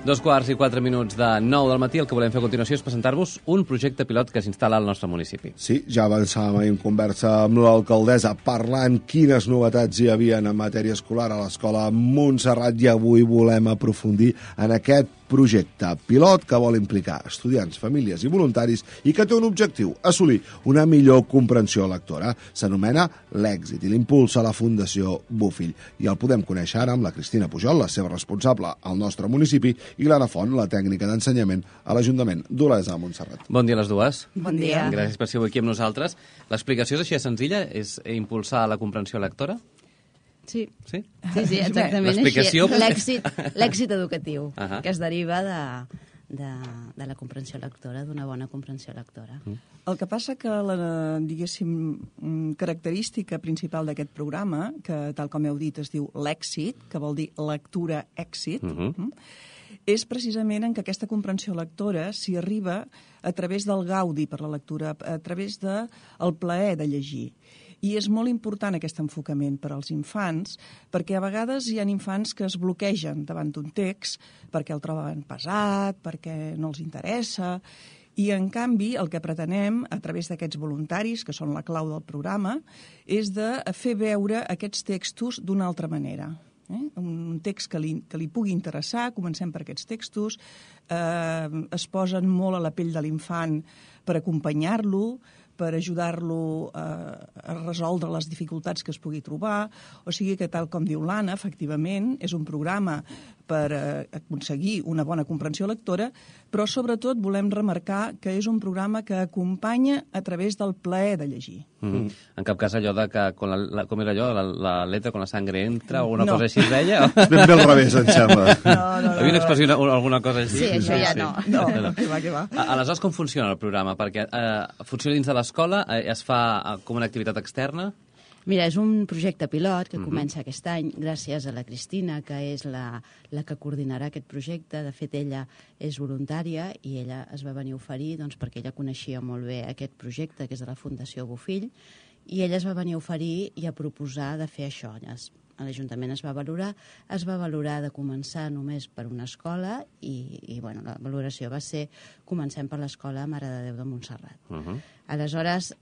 2:04 de 9 del matí. El que volem fer a continuació és presentar-vos un projecte pilot que s'instal·la al nostre municipi. Sí, ja avançàvem ahir en conversa amb l'alcaldessa parlant quines novetats hi havia en matèria escolar a l'escola Montserrat, i avui volem aprofundir en aquest projecte pilot que vol implicar estudiants, famílies i voluntaris i que té un objectiu: assolir una millor comprensió lectora. S'anomena l'Èxit i l'impulsa la Fundació Bofill. I el podem conèixer ara amb la Cristina Pujol, la seva responsable al nostre municipi, i l'Anna Font, la tècnica d'ensenyament a l'Ajuntament d'Olesa de Montserrat. Bon dia a les dues. Bon dia. Gràcies per ser aquí amb nosaltres. L'explicació és així de senzilla? És impulsar la comprensió lectora? Sí. Sí? Sí, exactament. L'explicació... L'èxit educatiu, que es deriva de la comprensió lectora, d'una bona comprensió lectora. El que passa que la, diguéssim, característica principal d'aquest programa, que tal com heu dit es diu l'èxit, que vol dir lectura èxit, és precisament en que aquesta comprensió lectora s'hi arriba a través del gaudi per la lectura, a través del plaer de llegir. I és molt important aquest enfocament per als infants, perquè a vegades hi ha infants que es bloquegen davant d'un text perquè el troben pesat, perquè no els interessa, i en canvi el que pretenem a través d'aquests voluntaris, que són la clau del programa, és de fer veure aquests textos d'una altra manera. Un text que li pugui interessar, comencem per aquests textos, es posen molt a la pell de l'infant per acompanyar-lo, per ajudar-lo a resoldre les dificultats que es pugui trobar. O sigui que, tal com diu l'Anna, efectivament, és un programa per aconseguir una bona comprensió lectora, però sobretot volem remarcar que és un programa que acompanya a través del plaer de llegir. En cap cas allò de que, com era allò, la letra con la sangre entra, o alguna cosa així es deia? Ben bé al revés, em sembla. Havia una expressió, alguna cosa així? Sí, això ja no. No, que va. Aleshores, com funciona el programa? Perquè funciona dins de l'escola, es fa com una activitat externa? Mira, és un projecte pilot que comença aquest any gràcies a la Cristina, que és la que coordinarà aquest projecte. De fet, ella és voluntària i ella es va venir a oferir perquè ella coneixia molt bé aquest projecte, que és de la Fundació Bofill, i ella es va venir a oferir i a proposar de fer això. A l'Ajuntament es va valorar de començar només per una escola i la valoració va ser comencem per l'escola Mare de Déu de Montserrat. Aleshores,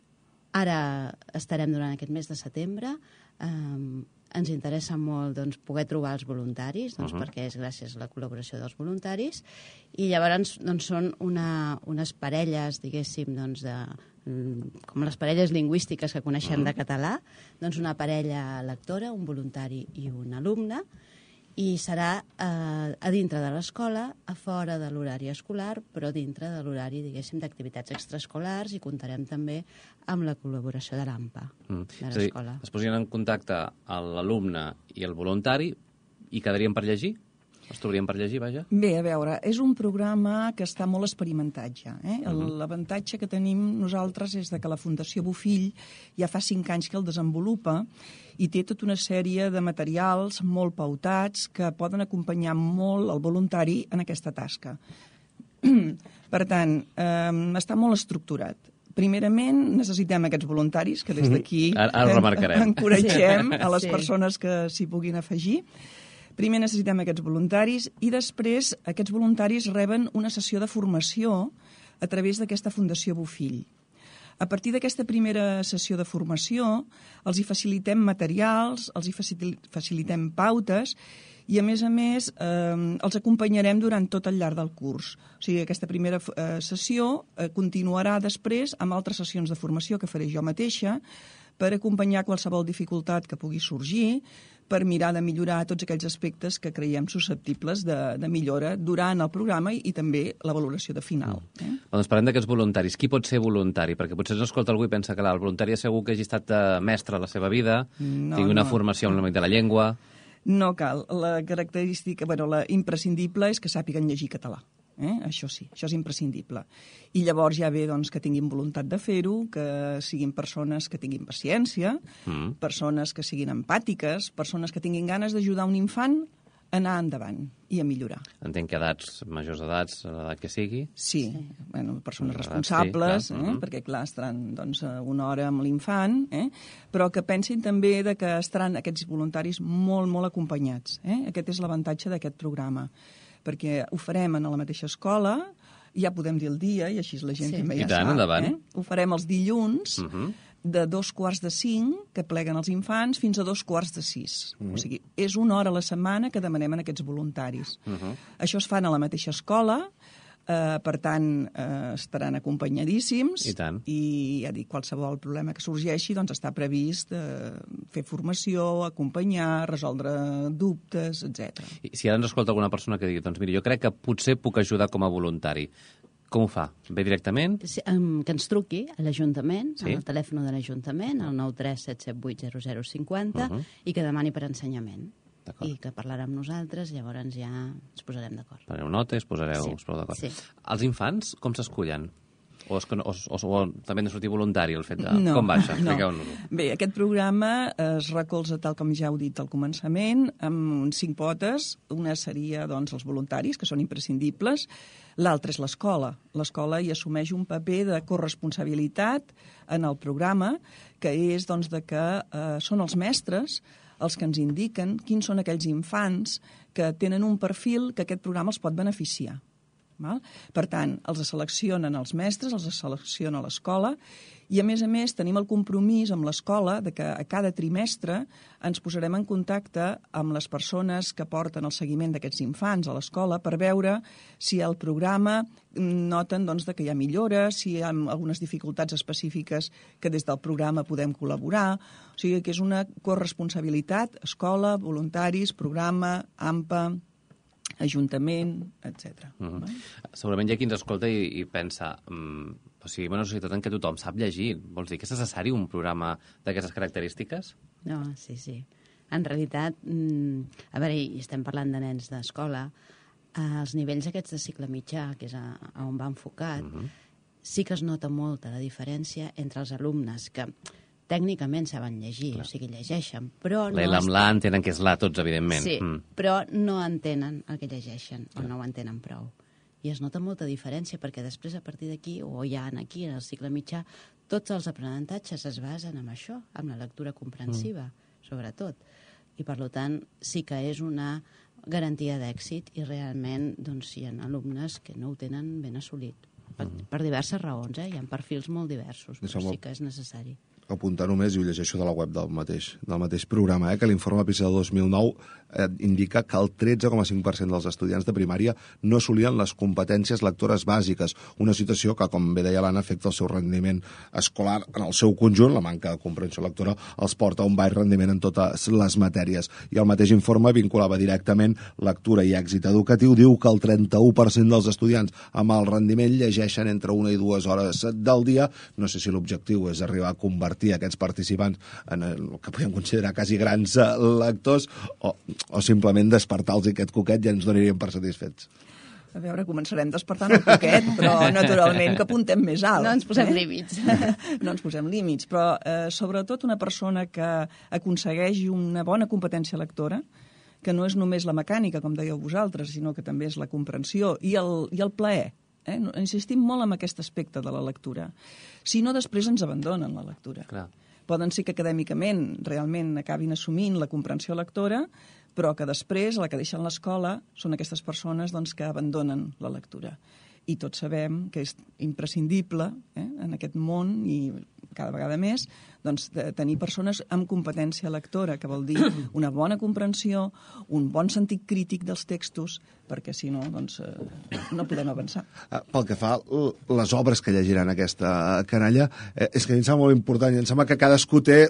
ara estarem durant aquest mes de setembre. Ens interessa molt poder trobar els voluntaris, perquè és gràcies a la col·laboració dels voluntaris, i llavors són unes parelles, diguéssim, com les parelles lingüístiques que coneixem de català, una parella lectora, un voluntari i un alumne, i serà a dintre de l'escola, a fora de l'horari escolar, però dintre de l'horari, diguéssim, d'activitats extraescolars, i comptarem també amb la col·laboració de l'AMPA, de l'escola. Es posarien en contacte l'alumne i el voluntari i quedarien per llegir? Els trobarien per llegir, vaja? Bé, a veure, és un programa que està molt experimentat ja. L'avantatge que tenim nosaltres és que la Fundació Bofill ja fa 5 anys que el desenvolupa i té tota una sèrie de materials molt pautats que poden acompanyar molt el voluntari en aquesta tasca. Per tant, està molt estructurat. Primerament, necessitem aquests voluntaris, que des d'aquí encoratgem a les persones que s'hi puguin afegir. Primer necessitem aquests voluntaris i després aquests voluntaris reben una sessió de formació a través d'aquesta Fundació Bofill. A partir d'aquesta primera sessió de formació els hi facilitem materials, els hi facilitem pautes i, a més, els acompanyarem durant tot el llarg del curs. O sigui, aquesta primera sessió continuarà després amb altres sessions de formació que faré jo mateixa per acompanyar qualsevol dificultat que pugui sorgir, per mirar de millorar tots aquells aspectes que creiem susceptibles de millora durant el programa i també la valoració de final. Doncs parlem d'aquests voluntaris. Qui pot ser voluntari? Perquè potser escolta algú i pensa que el voluntari és segur que hagi estat mestre a la seva vida, tingui una formació en l'àmbit de la llengua... No cal. La característica, la imprescindible és que sàpiguen llegir català. Això sí, això és imprescindible. I llavors ja ve que tinguin voluntat de fer-ho, que siguin persones que tinguin paciència, persones que siguin empàtiques, persones que tinguin ganes d'ajudar un infant a anar endavant i a millorar. Entenc que majors edats, a l'edat que sigui. Sí, persones responsables, perquè clar, estaran una hora amb l'infant, però que pensin també que estaran aquests voluntaris molt, molt acompanyats. Aquest és l'avantatge d'aquest programa. perquè ho farem a la mateixa escola, ja podem dir el dia, i així la gent també ja sap. Endavant. Ho farem els dilluns, de 2:45, que pleguen els infants, fins a 2:45. O sigui, és una hora a la setmana que demanem a aquests voluntaris. Això es fan a la mateixa escola, per tant, estaran acompanyadíssims. I tant. I ja dic, qualsevol problema que sorgeixi, doncs està previst fer formació, acompanyar, resoldre dubtes, etc. I si ara ens escolta alguna persona que digui, doncs mira, jo crec que potser puc ajudar com a voluntari, com ho fa? Ve directament? Sí, que ens truqui a l'Ajuntament, al telèfon de l'Ajuntament, al 93 778 0050, i que demani per ensenyament. I que parlarà amb nosaltres, llavors ja ens posarem d'acord. Fareu nota i us posareu d'acord. Sí. Els infants, com s'escullen? O també han de sortir voluntari, el fet de... No, com va això? no. Expliqueu-nos-ho. Bé, aquest programa es recolza, tal com ja heu dit al començament, amb 5 potes. Una seria, doncs, els voluntaris, que són imprescindibles. L'altra és l'escola. L'escola hi assumeix un paper de corresponsabilitat en el programa, que és, doncs, de que són els mestres els que ens indiquen quins són aquells infants que tenen un perfil que aquest programa els pot beneficiar. Val? Per tant, els seleccionen els mestres, els selecciona l'escola, i a més tenim el compromís amb l'escola de que a cada trimestre ens posarem en contacte amb les persones que porten el seguiment d'aquests infants a l'escola per veure si el programa noten, doncs, que hi ha millores, si hi ha algunes dificultats específiques que des del programa podem col·laborar. O sigui que és una corresponsabilitat, escola, voluntaris, programa, AMPA, Ajuntament, etc. Segurament hi ha qui ens escolta i pensa, o sigui, en una societat en què tothom sap llegir, vols dir que és necessari un programa d'aquestes característiques? No, sí. En realitat, a veure, i estem parlant de nens d'escola, els nivells aquests de cicle mitjà, que és on va enfocat, sí que es nota molta la diferència entre els alumnes que tècnicament saben llegir, o sigui, llegeixen, però no... L'L amb l'A entenen que és l'A tots, evidentment. Sí, però no entenen el que llegeixen, o no ho entenen prou. I es nota molta diferència, perquè després, a partir d'aquí, o ja aquí, en el cicle mitjà, tots els aprenentatges es basen en això, en la lectura comprensiva, sobretot. I, per tant, sí que és una garantia d'èxit, i realment doncs, hi ha alumnes que no ho tenen ben assolit. Per diverses raons, hi ha perfils molt diversos, però sí que és necessari. Apuntar només, i ho llegeixo de la web del mateix programa, que l'informe PISA 2009 indica que el 13,5% dels estudiants de primària no assolien les competències lectores bàsiques, una situació que, com bé deia l'Anna, afecta el seu rendiment escolar en el seu conjunt. La manca de comprensió lectora els porta a un baix rendiment en totes les matèries. I el mateix informe vinculava directament lectura i èxit educatiu. Diu que el 31% dels estudiants amb el rendiment llegeixen entre 1 i 2 hores del dia. No sé si l'objectiu és arribar a convertir aquests participants en el que podem considerar quasi grans lectors o simplement despertar-los aquest coquet i ens donaríem per satisfets. A veure, començarem despertant el coquet, però naturalment que apuntem més alt. No ens posem límits. No ens posem límits, però sobretot una persona que aconsegueixi una bona competència lectora, que no és només la mecànica, com dèieu vosaltres, sinó que també és la comprensió i el plaer. Insistim molt en aquest aspecte de la lectura. Si no, després ens abandonen la lectura. Clar. Poden ser que acadèmicament realment acabin assumint la comprensió lectora, però que després, a la que deixen l'escola, són aquestes persones que abandonen la lectura. I tots sabem que és imprescindible en aquest món, i cada vegada més, de tenir persones amb competència lectora, que vol dir una bona comprensió, un bon sentit crític dels textos, perquè si no, no podem avançar. Pel que fa a les obres que llegiran aquesta canalla, és que a mi em sembla molt important, i em sembla que cadascú té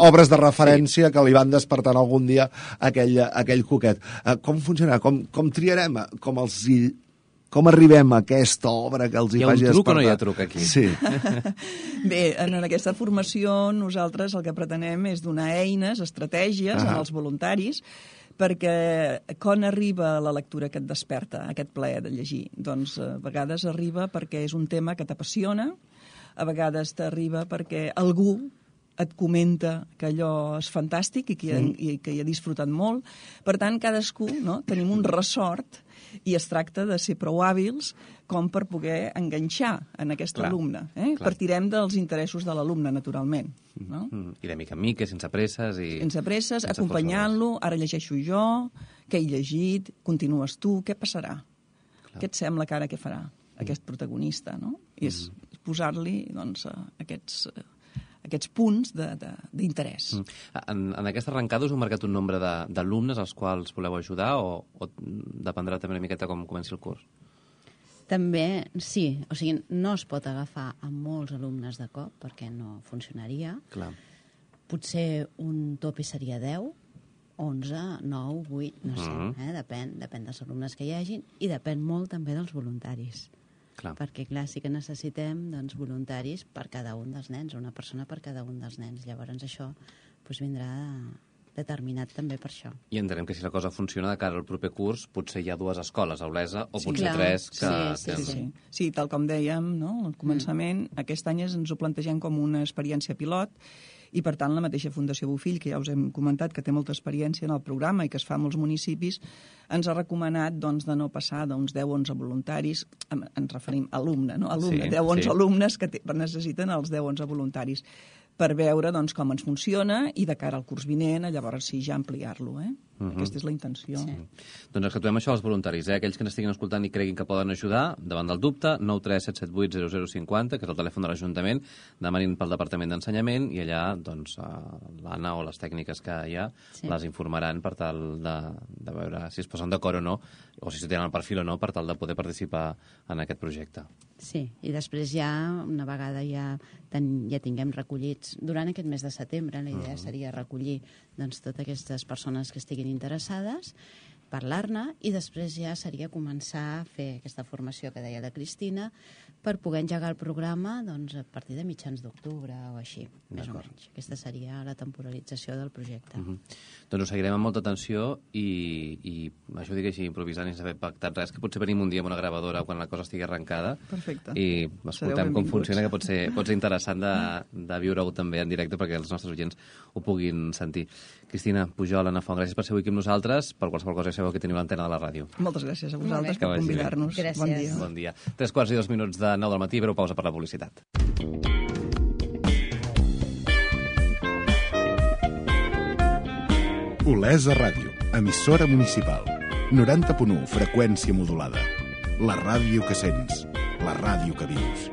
obres de referència que li van despertant algun dia aquell coquet. Com funcionarà? Com triarem? Com arribem a aquesta obra que els hi faci despertar? Hi ha un truc o no hi ha truc aquí? Sí. Bé, en aquesta formació nosaltres el que pretenem és donar eines, estratègies als voluntaris, perquè quan arriba la lectura que et desperta, aquest plaer de llegir? Doncs a vegades arriba perquè és un tema que t'apassiona, a vegades t'arriba perquè algú et comenta que allò és fantàstic i que hi ha disfrutat molt. Per tant, cadascú, no? Tenim un ressort i es tracta de ser prou hàbils com per poder enganxar en aquest alumne. Partirem dels interessos de l'alumne, naturalment. No? I de mica en mica, sense presses. Sense presses, acompanyant-lo, ara llegeixo jo, què he llegit, continues tu, què passarà? Què et sembla que ara què farà aquest protagonista? No? I és posar-li doncs, aquests punts d'interès. En aquesta arrencada us heu marcat un nombre d'alumnes als quals voleu ajudar o dependrà també una miqueta com comenci el curs? També, sí. O sigui, no es pot agafar a molts alumnes de cop perquè no funcionaria. Clar. Potser un tope seria 10, 11, 9, 8, no sé. Depèn dels alumnes que hi hagin i depèn molt també dels voluntaris. Clar. Perquè, clar, sí que necessitem doncs, voluntaris per cada un dels nens, una persona per cada un dels nens. Llavors això doncs, vindrà determinat també per això. I entenem que si la cosa funciona de cara al proper curs, potser hi ha 2 escoles a Olesa, o potser clar. 3 que... Sí, tal com dèiem, no? Al començament, aquest any ens ho plantegem com una experiència pilot, i, per tant, la mateixa Fundació Bofill, que ja us hem comentat que té molta experiència en el programa i que es fa a molts municipis, ens ha recomanat doncs, de no passar d'uns 10 o 11 voluntaris, ens referim a alumne, no? 10 o 11 alumnes que necessiten els 10 o 11 voluntaris, per veure doncs, com ens funciona i de cara al curs vinent, llavors sí, ja ampliar-lo. Aquesta és la intenció. Sí. Doncs accentuem això als voluntaris, aquells que n'estiguin escoltant i creguin que poden ajudar, davant del dubte, 937780050, que és el telèfon de l'Ajuntament, demanin pel Departament d'Ensenyament i allà doncs, l'Anna o les tècniques que hi ha les informaran per tal de veure si es posen d'acord o no, o si tenen el perfil o no, per tal de poder participar en aquest projecte. Sí, i després ja, una vegada ja tinguem recollits, durant aquest mes de setembre, la idea seria recollir doncs, totes aquestes persones que estiguin interessades, parlar-ne, i després ja seria començar a fer aquesta formació que deia la Cristina per poder engegar el programa doncs, a partir de mitjans d'octubre o així, més o menys. Aquesta seria la temporalització del projecte. Doncs ho seguirem amb molta atenció i això ho dic així, improvisant sense haver pactat res, que potser venim un dia amb una gravadora quan la cosa estigui arrencada. Perfecte. I escoltem com funciona, que pot ser interessant de viure-ho també en directe perquè els nostres oients ho puguin sentir. Cristina Pujol, Anna Font, gràcies per ser avui aquí amb nosaltres. Per qualsevol cosa ja sabeu que teniu l'antena de la ràdio. Moltes gràcies a vosaltres per convidar-nos. Bon dia. Bon dia. 3:02 de 9 del matí, breu pausa per la publicitat. Olesa Ràdio, emissora municipal. 90.1, freqüència modulada. La ràdio que sents, la ràdio que vius.